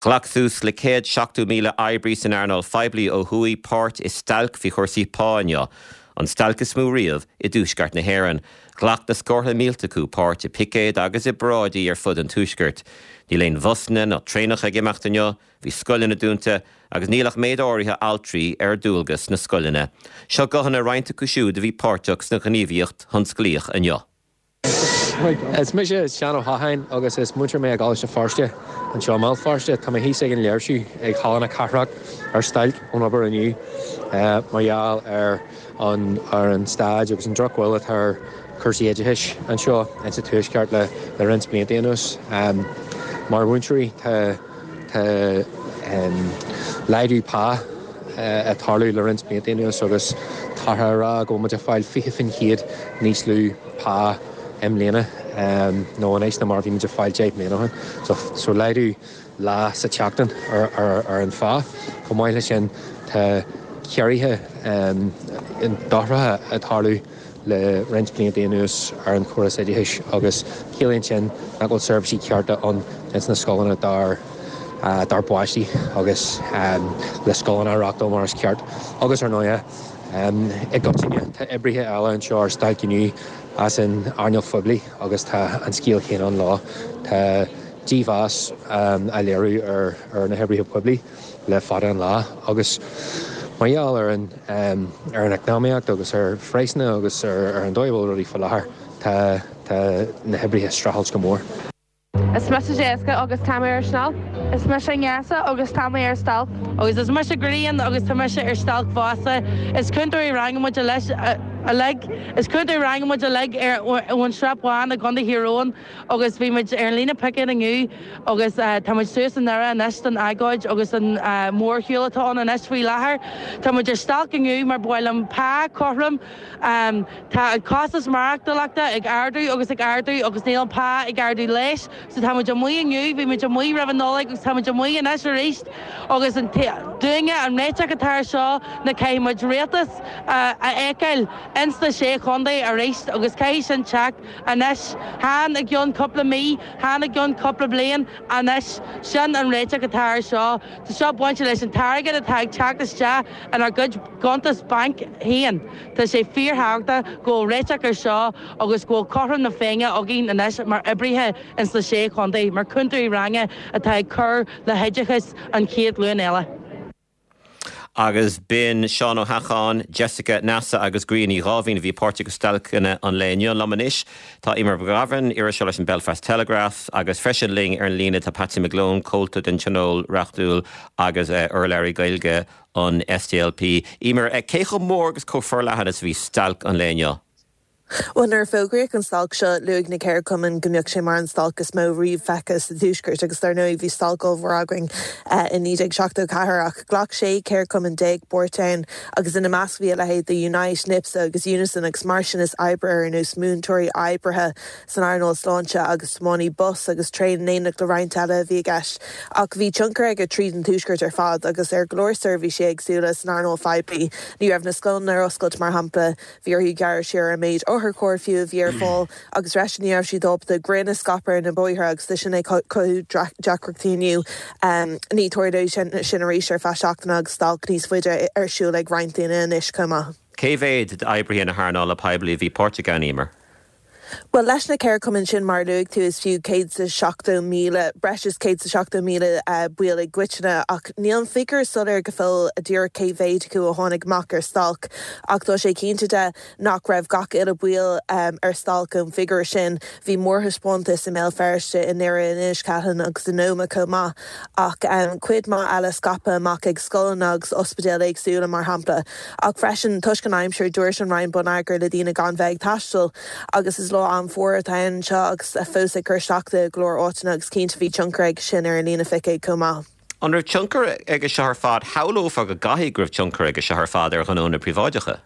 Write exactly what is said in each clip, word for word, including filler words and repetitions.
Ghlac suas le céad seachtó míle oibrí san earnáil phoiblí ó thuaidh páirt i stailc faoi chúrsaí pá inniu, an stailc is mó riamh i dtuaisceart na hÉireann. Ghlac na scórtha mílte acu páirt i picéid agus i bparáidí ar fud an tuaiscirt. Níl aon bhusanna ná traenacha ag imeacht inniu, bhí scoileanna dúnta agus níl ach méid áirithe altraí ar dualgas sna scoileanna. Seo guthanna roinnt acu siúd a bhí páirteach sna gníomhaíocht thionsclaíoch inniu. Is mise Seán Ó hAcháin agus is múinteoir mé i gColáiste Feirste anseo i mBéal Feirste. Tá mé thíos ag an léirsiú ag Halla na Cathrach ar stailc ón obair inniu mar gheall ar an ar an staid agus an drochbhail atá ar chúrsaí oideachais anseo insa Tuaisceart le le roinnt blianta anuas. Mar mhúinteoirí tá tá laghdú pá ag tarlú le roinnt blianta anuas agus táthar á rá go bhfuil muid ag fáil fiche faoin chéad níos lú pá i mbliana nó anois ná mar a bhí muid ag fáil deich mbliana ó shin. So, so laghdú lá sa tseachtain ar, ar, ar an phá. Chomh maith leis sin tá ciorruithe dochracha ag tarlú le roinnt blianta anuas ar an chóras oideachais agus ciallaíonn sin nach bhfuil seirbhísí cearta ann ins na scoileanna dár dár bpáistí agus le scoileanna a reáchtáil mar is ceart. Agus ar ndóigh i gcoitinne tá oibrithe eile anseo ar stailc inniu as an earnáil phoiblí agus tá an scéal céanna ann leo. Tá dímheas á léiriú ar ar na hoibrithe poiblí le fada an lá agus mar gheall ar an ar an eacnamaíocht agus ar phraghsanna agus ar ar an dóigh a bhfuil rudaí faoi láthair tá tá na hoibrithe ag streachailt go mór. Is mise Jessica agus tá mé ar stailc. Is mise Neasa agus tá mé ar stailc. Agus is mise Grian agus tá mise ar stailc fosta. Is cúntóirí ranga muid leis uilig Is cúntóirí ranga muid uilig ar ón Srath Bán i gContae Thír Eoghain agus bhí muid ar an líne picéid inniu agus tá muid suas i nDoire anois don agóid agus an mórshiúl atá ann anois faoi láthair. Tá muid ar stailc inniu mar ba mhaith linn pá cothrom Tá an costas maireachtála ag ardú agus ag ardú agus níl an pá ag ardú leis, so tá muid amuigh inniu, bhí muid amuigh roimh an Nollaig agus tá muid amuigh anois arís agus an dúinne an réiteach atá ar seo ná caithfidh muid rialtas a fheiceáil ins na sé chontae arís agus caithfidh sin teacht anois chan i gceann cúpla mí, chan i gceann cúpla bliain anois sin an réiteach atá ar seo. Tá seo bainte leis an t-airgead atá ag teacht isteach inár gcuid cuntas bainc féin. Tá sé fíorthábhachtach go bhfuil réiteach ar seo agus go bhfuil cothrom na Féinne againn anois mar oibrithe ins na sé chontae, mar cúntóirí ranga atá ag cur le hoideachas an chéad ghlúin eile. Agus b'in Seán Ó hEacháin, Jessica Neasa agus Grian Ní Dháimhín a bhí páirteach i stailceanna an lae inniu liom anois. Tá Eimear McGovern, iriseoir leis an Belfast Telegraph agus freisin linn ar an líne tá Patsy McGlone, comhalta den Tionól Reachtúil agus urlabhraí Gaeilge an SDLP. Eimear, cé chomh mór agus chomh forleathan is a bhí stailc an lae inniu? Well nuair a fógraíodh an stailc seo luaigh na ceardchumainn go mbeadh sé mar an stailc is mó riamh feicthe sa tuaisceart agus dar ndóigh bhí stailc ollmhór againn in naoi déag seachtó ceathair ach ghlac sé ceardchumann déag páirt ann agus ina measc bhí a leithéid de Unite, NIPSA agus Unison agus mar sin is oibrithe ar nós múinteoirí oibrithe san earnáil sláinte agus tiománaí bus agus traein in éineacht le roinnt eile a bhí i gceist ach bhí tionchar aige tríd an tuaisceart ar fad agus ar go leor seirbhísí éagsúla san earnáil phoiblí. Ní raibh na scoileanna ar oscailt mar shampla, bhí orthu gearradh siar ar an méid otharchairr fiú a bhí ar fáil agus freisin ní raibh siad ábalta greim a scaipeadh ar na bóithre agus tá sin ag cothú deacrachtaí inniu. Ní tarlóidh sin arís ar feadh seachtaine agus stailc níos faide ar siúl ag roinnt daoine anois chomh maith. Cé mhéad d'oibrithe na hearnála poiblí a bhí páirteach ann, Eimear? Bhuel leis na ceardchumainn sin mar a luaigh tú is fiú céad is seachtó míle, breis is céad is seachtó míle baill i gcoitinne ach níl an figiúr soiléir go fóill díreach cé mhéad acu a tháinig amach ar stailc ach tá sé cinnte de nach raibh gach uile bhall ar stailc ón bhfigiúr sin. Bhí mórthaispeántas i mBéal Feirste, i nDoire, in Inis Ceithleann agus in Ómaigh chomh maith ach cuid mhaith eile scaipthe amach ag scoileanna agus ospidéil éagsúla mar shampla. Ach freisin toisc an aimsir dúirt an Roinn Bonneagair le daoine gan bheith ag taisteal agus is lá an-fhuar atá ann anseo agus fós ag cur isteach de go leor áiteanna agus cinnte bhí tionchar aige sin ar an líne phicéad chomh maith. An raibh tionchar aige seo ar fad shamhlófá go gcaithfidh go raibh tionchar aige seo ar fad ar ghnónna príobháideacha?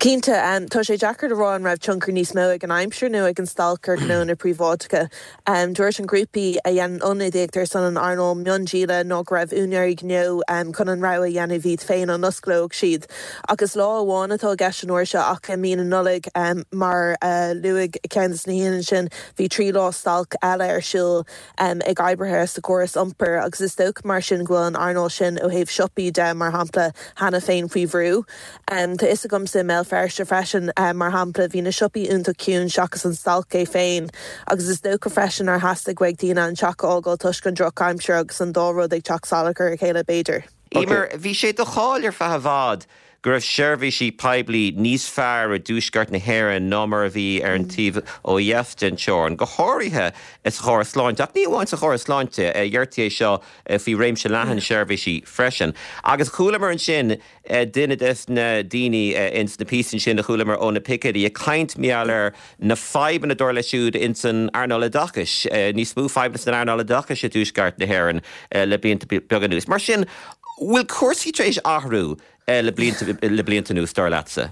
Cinnte, tá sé deacair a rá an raibh tionchar níos mó ag an aimsir nó ag an stailc ar ghnónna príobháideacha. Dúirt an grúpa a dhéanann ionadaíocht ar son an earnáil miondíola ná go raibh úinéirí gnó chun an rogha a dhéanamh iad féin an osclódh siad. Ach is lá amháin atá i gceist an uair seo ach i mí na Nollag mar a luaigh ceann de na haíonna ansin bhí trí lá stailc eile ar siúl ag oibrithe sa chóras iompair agus is dócha mar sin go bhfuil an earnáil sin ó thaobh siopaí de mar shampla cheana féin faoi bhrú. Tá fhios agamsa i mBéal Feirste freisin mar shampla bhí na siopaí iontach ciúin seachas an stailc é féin agus is dócha freisin nár theastaigh uaidh daoine an teach a fhágáil toisc an drochaimsir agus an dá rud ag teacht salach ar a chéile b'fhéidir. Emer, bhí sé de cháil ar feadh i bhfad go raibh seirbhísí poiblí níos fearr i dtuaisceart na hÉireann ná mar a bhí ar an taobh ó dheas den teorainn, go háirithe sa chóras sláinte, ach ní amháin sa chóras sláinte, deirtí é seo faoi réimse leathan seirbhísí freisin. Agus chualamar ansin duine des na daoine ins na píosaí sin a chualamar ó na picéidí ag caint mar gheall ar na fadhbanna dar leo siúd ins an earnáil oideachais, níos mó fadhbanna san earnáil oideachais i dtuaisceart na hÉireann le blianta beaga anuas. Mar sin, bhfuil cúrsaí tar éis athrú le blianta le blianta anuas dar leatsa?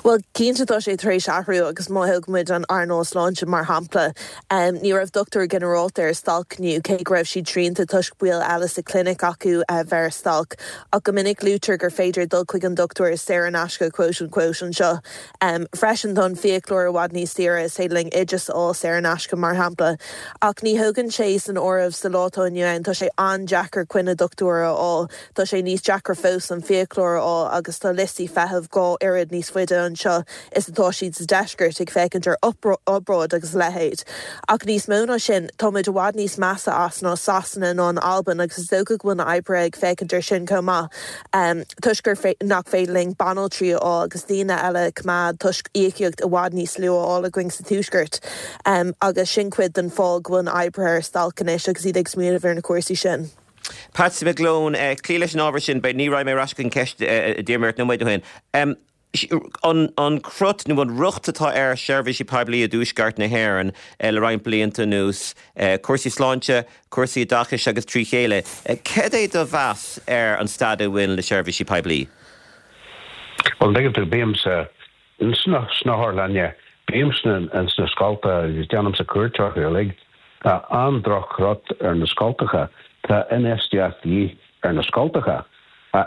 Well cinnte tá sé tar éis athrú agus má thóg muid an earnáil sláinte mar shampla. Um, ní raibh dochtúir ginearálta ar stailc inniu cé go raibh siad srianta toisc baill eile sa clinic acu uh, bheith ar stailc. Ach go minic luaitear gur féidir dul chuig an dochtúir saor in aisce quote unquote anseo. Um, freisin tá an fiaclóir i bhfad níos saoire is féidir linn oideas a fháil saor in aisce mar shampla. Ach ní thugann sé san áireamh sa lá atá inniu ann tá sé an-deacair coinne dochtúir a fháil, Tá sé níos deacra fós an fiaclóir a fháil agus tá liostaí feithimh dhá oiread níos faide anseo is atá siad sa deisceart ag féachaint ar obráid agus a leithéid. Ach níos mó ná sin táimid i bhfad níos measa as ná Sasana ná an Albain agus is dócha go bhfuil na oibrithe ag féachaint ar sin chomh maith. Um, toisc gur nach féidir linn banaltraí a fháil agus daoine eile coimeád toisc íocaíocht i bhfad níos lú á fháil againn sa tuaisceart. Um, agus sin cuid den fáth go bhfuil na oibrithe ar stailc anois agus iad ag smaoineamh ar na cúrsaí sin. Patsy McGlone, uh, clí leis an ábhar sin, be ní raibh mé ras an ceist uh, dúirt nó féin. Um, an, an crut nó an riocht atá ar seirbhísí poiblí i dtuaisceart na hÉireann eh, le roinnt blianta anuas, eh, cúrsaí sláinte, cúrsaí oideachais agus trí chéile. Eh, cad é do mheas ar an staid a bhfuil le seirbhísí poiblí? Well tú bímse sna sna otharlanna bímse an sna scoltacha agus déanaimse cuairt orthu Tá an-droch-chrut ar na scoltacha tá infheistíocht de dhíth ar na scoltacha.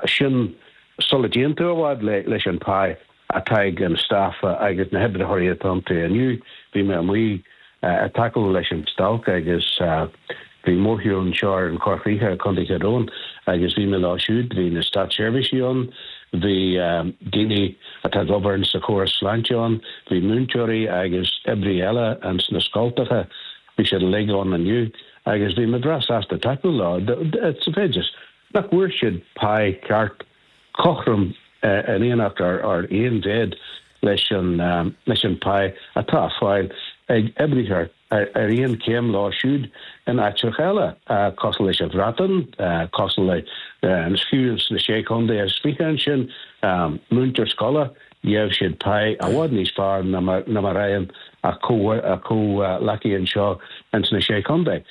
Sin sula dtéann tú i bhfad le leis an pá atá ag an staff agus na hoibrithe atá inniu bhí mé amuigh ag tacú leis an stailc agus bhí mórshiúl anseo ar an Chorr Chríche Contae Thír Eoghain agus bhí mé leo siúd bhí na státseirbhísigh ann bhí daoine atá ag obair sa chóras sláinte ann bhí múinteoirí agus oibrithe eile an sna scoltacha bhí siad uilig ann inniu agus bhí mé breá sásta tacú leo sa mhéid nach bhfuair siad pá ceart cothrom in éineacht ar ar aon mhéid leis an leis an pá atá fáil ag oibrithe ar aon chéim leo siúd in áiteacha eile cosúil leis an Bhreatain cosúil le an fiú sna sé chontae is fiche ansin múinteoir scoile gheobhaidh siad pá i bhfad níos fearr ná mar a fhaigheann a comhghleacaithe anseo in sna sé chontae.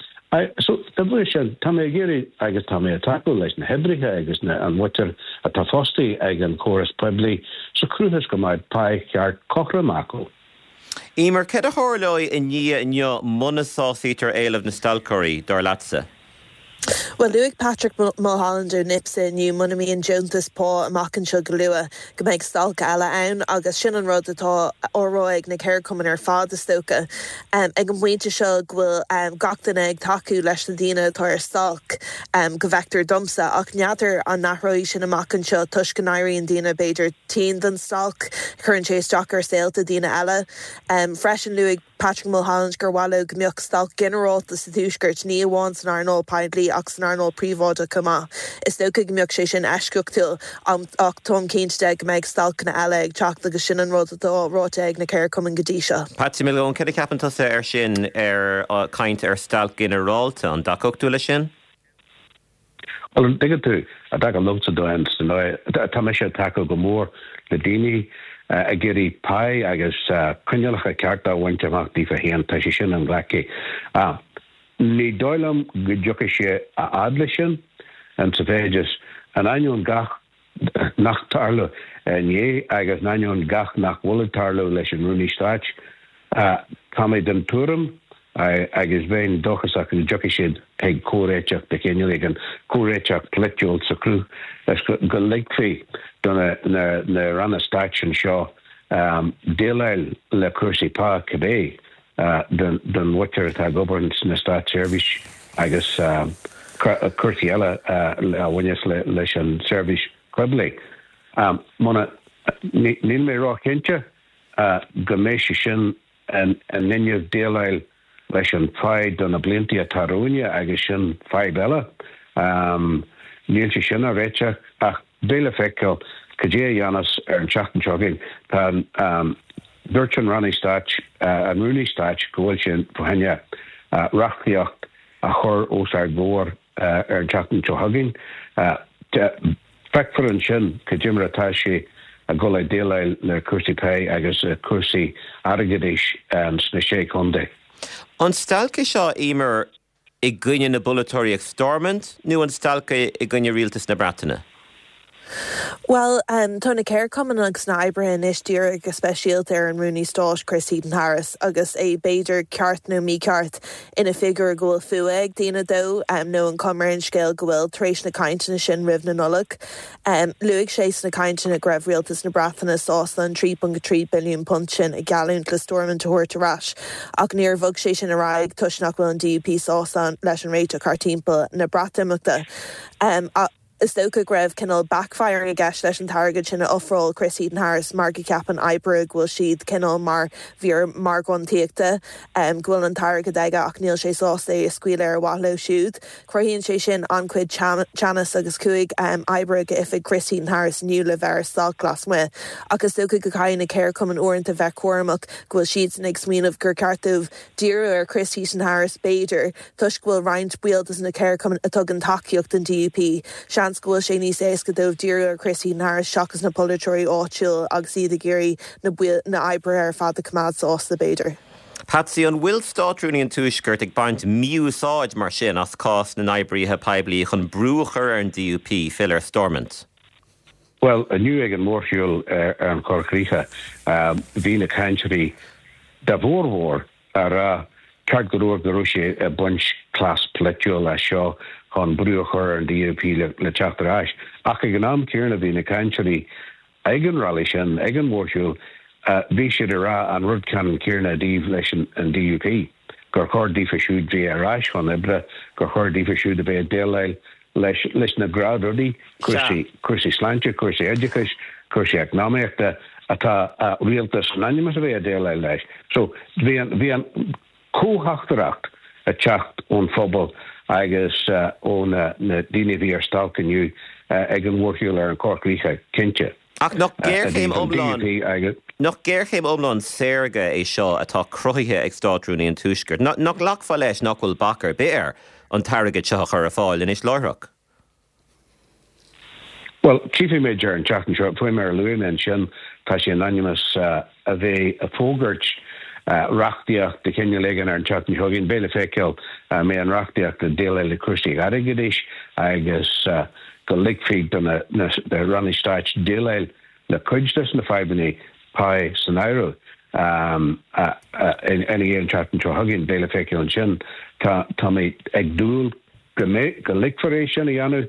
So dá bhrí sin tá mé ag iarraidh agus tá mé ag tacú leis na hoibrithe agus na an mhuintir atá fostaithe ag an chóras poiblí sa chaoi is go mbeidh pá ceart cothrom acu. Emer cad a tharlóidh i ndiaidh inniu muna sásaítear éilimh na stailceoirí dar leatsa. Well luaigh Patrick Mulholland ó NIPSA inniu muna mbíonn deontas pá amach anseo go luath go mbeidh stailc eile ann agus sin an rud atá á rá ag na ceardchumainn ar fad is dócha. Um, ag an bpointe seo go bhfuil um, gach duine ag tacú leis na daoine atá ar stailc um, go bhfeictear domsa ach n'fheadar an n-athróidh sin amach anseo toisc go n-éiríonn daoine b'fhéidir tinn den stailc cuireann sé isteach ar saolta daoine eile. Um, freisin luaigh Patrick Mulholland gur mhaith leo go mbeadh stailc ginearálta sa tuaisceart ní amháin san earnáil poiblí ach san earnáil príobháideach chomh maith. Is dócha go mbeadh sé sin eisceachtúil ach táim cinnte de go mbeidh stailceanna eile ag teacht agus sin an rud atá ráite ag na ceardchumainn go dtí seo. Patsy McGlone cad a cheapann tusa ar sin ar uh, caint ar stailc ginearálta an dtacódh tú le sin? Well tuigeann tú a dá liomsa dóin tá mé ag tacú go mór le daoine ag iarraidh pá agus coinníollacha cearta a bhaint amach daofa féin tá sé sin an-ghlactha. Ní dóigh liom go dtiocfaidh sé a fhad leis sin an sa mhéid is an ainneoin gach nach tharla inné agus in ainneoin gach nach bhfuil ag tarlú leis an Rúnaí Stáit, tá mé den tuairim agus bheinn dóchasach go dtiocfaidh siad chuig comhréiteach de chineál éigin, comhréiteach polaitiúil sa chruth is go ligfí do na ranna stáit anseo déileáil le cúrsaí pá cibé don mhuintir atá ag obair sna státseirbhís agus cúrsaí eile a bhaineas leis an tseirbhís phoiblí. Muna, níl mé róchinnte go mbeidh sé sin in inmhe déileáil leis an phá do na blianta atá romhainne agus sin fadhb eile. Níl sé sin á réiteach ach beidh le feiceáil cad é a dhéanfas ar an tseachtain seo chugainn. Tá an, dúirt an Rannaí Stáit, an Rúnaí Stáit go bhfuil sé fá choinne reachtaíocht a chur os ár gcomhair ar an tseachtain seo chugainn. Feicfear ansin cad é mar atá sé ag dul ag déileáil le cúrsaí pá agus cúrsaí airgeadais sna Sé Chontae. An stailc é seo, Emer, i gcoinne na bpolaiteoirí ag Stormont nó an stailc é i gcoinne rialtas na Breataine? Bhuel, tá na ceardchumainn agus na hoibrithe anois dírithe go speisialta ar an Rúnaí Stáit Chris Heaton-Harris agus é b'fhéidir ceart nó mícheart ina figiúr go bhfuil fuath ag daoine dó nó an chuma ar an scéal go bhfuil tar éis na cainteanna sin roimh na Nollag. Luaigh sé sna cainteanna go raibh rialtas na Breataine sásta an trí ponc trí billiún punt sin a gheallúint le Stormont a thabhairt ar ais ach níor bhog sé sin ar aghaidh toisc nach bhfuil an D U P sásta leis an réiteach thart timpeall na Breatimeachta. Is dócha go raibh cineál backfiring i gceist leis an t-airgead sin a ofráil Chris Heaton-Harris mar go gceapann oibrithe go bhfuil siad cineál mar mhír mhargánaíochta, go bhfuil an t-airgead aige ach níl sé sásta é a scaoileadh ar mhaithe leo siúd. Cruthaíonn sé sin an-chuid teannas agus chuaigh oibrithe go oifig Chris Heaton-Harris inniu le bheith ar stailc lasmuigh. Ach is dócha go gcaithfidh na ceardchumainn uaireanta bheith cúramach go bhfuil siadsan ag smaoineamh gur ceart dóibh díriú ar Chris Heaton-Harris b'fhéidir toisc go bhfuil roinnt baill de na ceardchumainn a tugann tacaíocht don D U P. Seans go bhfuil sé níos éasca dóibh díriú ar Chris Heaton-Harris seachas na polaiteoirí áitiúil agus iad ag iarraidh na baill na oibrithe ar fad a choimeád sásta b'fhéidir. Patsy, an bhfuil Státrúnaí an Tuaiscirt ag baint mí-úsáid mar sin as cás na n-oibrithe poiblí chun brú a chur ar an D U P filleadh ar Stormont? Bhuel, inniu ag an mórshiúl ar an Chorr Chríche, bhí na cainteoirí dá bhformhór ag rá ceart go leor go raibh sé ag baint cleas polaitiúil as seo chun brú a chur ar an D U P le teacht ar ais. Ach ag an am céanna bhí na cainteoirí ag an rally sin, ag an mhórshiúl, bhí siad ag rá an rud ceannann céanna i dtaobh leis an D U P, gur chóir daofa siúd bheith ar ais chun oibre, gur chóir daofa siúd a bheith ag déileáil leis leis na gnáthrudaí, cúrsaí cúrsaí sláinte, cúrsaí oideachais, cúrsaí eacnamaíochta atá rialtas in ainm is a bheith ag déileáil leis. So bhí an bhí an comhtheachtaireacht ag teacht ón phobal agus ó na daoine a bhí ar stailc inniu ag an mhórshiúl ar an Chorr Chríche, cinnte. Ach nach géarchéim iomlán nach géarchéim iomlán saorga é seo atá cruthaithe ag Státrúnaí an Tuaiscirt? Nach nglacfá leis nach bhfuil bac ar bith air an t-airgead seo a chur ar fáil anois láithreach? Bhuel, tchífimid ar an tseachtain seo, faoi mar a luaigh mé ansin, tá sé in ainm is a bheith ag fógairt reachtaíocht de chineál éigin ar an tseachtain seo chugainn. Beidh le feiceáil an mbeidh an reachtaíocht ag déileáil le cúrsaí airgeadais agus go ligfí do na ranna stáit déileáil le cuid de na fadhbanna pá san áireamh ina dhiaidh an tseachtain seo chugainn. Beidh le feiceáil ansin. Tá mé ag dúil go mbeidh, go ligfear é sin a dhéanamh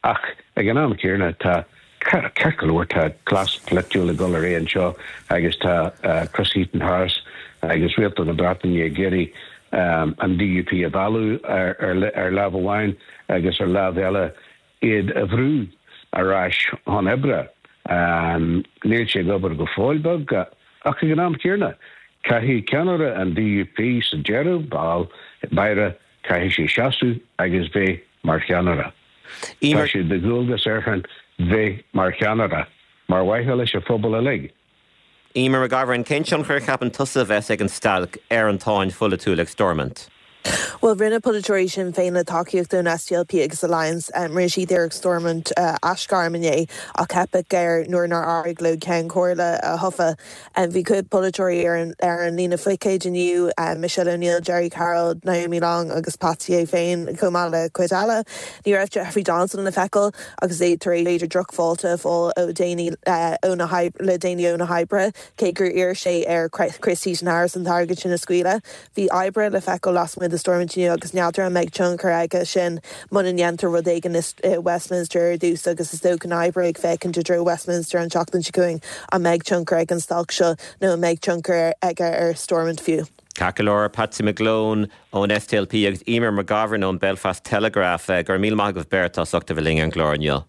ach ag an am céanna tá, ceart go leor, tá cleas polaitiúil ag dul ar aghaidh anseo agus tá Chris Heaton-Harris agus Rialtas na Breataine ag iarraidh an D U P a mhealladh ar lámh amháin agus ar lámh eile iad a bhrú ar ais chun oibre. Níl sé ag obair go fóill beag ach ag an am céanna caithfidh ceannaire an D U P sa deireadh ball báire caithfidh sé seasamh agus bheith mar cheannaire. Tá sé de dhualgas airsean bheith mar cheannaire, mar mhaithe leis an phobal uilig. Eimear McGovern, cén tionchar a cheapann tusa a bheas ag an stailc ar an tsáinn pholaitiúil ag Stormont? Well rinne polaiteoirí Sinn Féin le tacaíocht ón SDLP agus Alliance um, rinne siad iarracht Stormont uh, aisghairm inné ach theip air nuair nár éirigh leo Ceann Comhairle a thoghadh. Um, bhí cuid polaiteoirí ar an, ar an líne phicéid inniu um, Michelle O'Neill, Gerry Carroll, Naomi Long agus Patsy é féin chomh maith le cuid eile. Ní raibh Jeffrey Donaldson le feiceáil agus é tar éis drochfháilte fáil ó daoine uh, le daoine ó na hoibrithe cé gur iarr sé ar Chris Heaton-Harris an t-airgead sin a scaoileadh. Bhí oibrithe le feiceáil lasmuigh de Stormont agus n'fheadar an mbeidh tionchar aige sin muna ndéantar rud éigin i Westminster ar dtús agus is dócha na hoibrithe ag féachaint i dtreo Westminster an tseachtain seo chugainn an mbeidh tionchar ag an stailc seo nó an mbeidh tionchar aige ar Stormont fiú. Ceart Patsy McGlone ón SDLP agus Eimear McGovern ón Belfast Telegraph eh, gur mí maith go bhbeirt as ucht a bheith linn ar an gclár inniu.